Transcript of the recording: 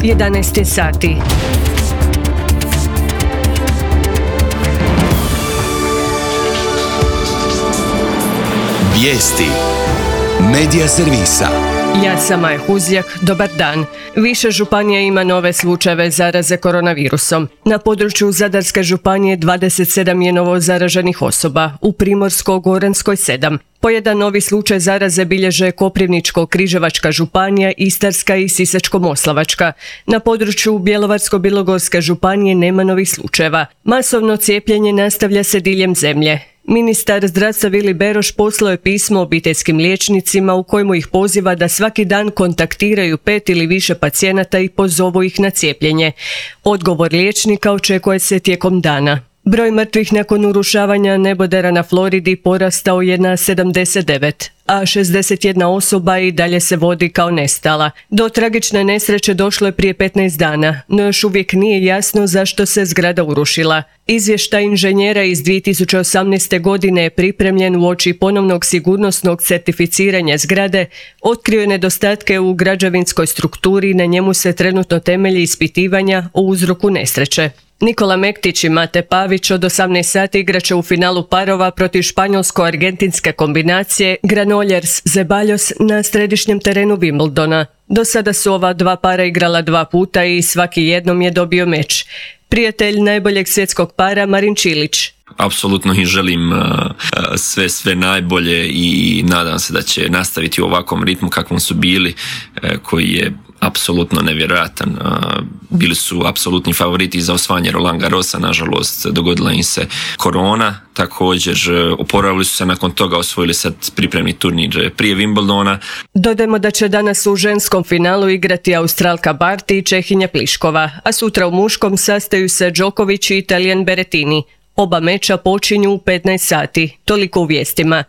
11 sati. Vijesti Medija servisa. Ja sam Maja Huzjak, dobar dan. Više županija ima nove slučajeve zaraze koronavirusom. Na području Zadarske županije 27 je novo zaraženih osoba, u Primorsko-goranskoj 7. Po jedan novi slučaj zaraze bilježe Koprivničko-križevačka županija, Istarska i Sisačko-moslavačka. Na području Bjelovarsko-bilogorske županije nema novih slučajeva. Masovno cijepljenje nastavlja se diljem zemlje. Ministar zdravstva Vili Beroš poslao je pismo obiteljskim liječnicima u kojemu ih poziva da svaki dan kontaktiraju 5 ili više pacijenata i pozovu ih na cijepljenje. Odgovor liječnika očekuje se tijekom dana. Broj mrtvih nakon urušavanja nebodera na Floridi porastao je na 79, a 61 osoba i dalje se vodi kao nestala. Do tragične nesreće došlo je prije 15 dana, no još uvijek nije jasno zašto se zgrada urušila. Izvještaj inženjera iz 2018. godine je pripremljen uoči ponovnog sigurnosnog certificiranja zgrade, otkrio je nedostatke u građevinskoj strukturi i na njemu se trenutno temelji ispitivanja o uzroku nesreće. Nikola Mektić i Mate Pavić od 18 sati igraće u finalu parova protiv španjolsko-argentinske kombinacije Granollers-Zeballos na središnjem terenu Wimbledona. Do sada su ova dva para igrala 2 puta i svaki jednom je dobio meč. Prijatelj najboljeg svjetskog para Marin Čilić. Apsolutno im želim sve najbolje i nadam se da će nastaviti u ovakvom ritmu kakvom su bili, koji je apsolutno nevjerojatan. Bili su apsolutni favoriti za osvajanje Roland Garrosa, nažalost dogodila im se korona. Također oporavili su se nakon toga, osvojili sad pripremni turnir prije Wimbledona. Dodajmo da će danas u ženskom finalu igrati Australka Barty i Čehinja Pliškova, a sutra u muškom sastaju se Djokovic i Italijan Berrettini. Oba meča počinju u 15 sati. Toliko u vijestima.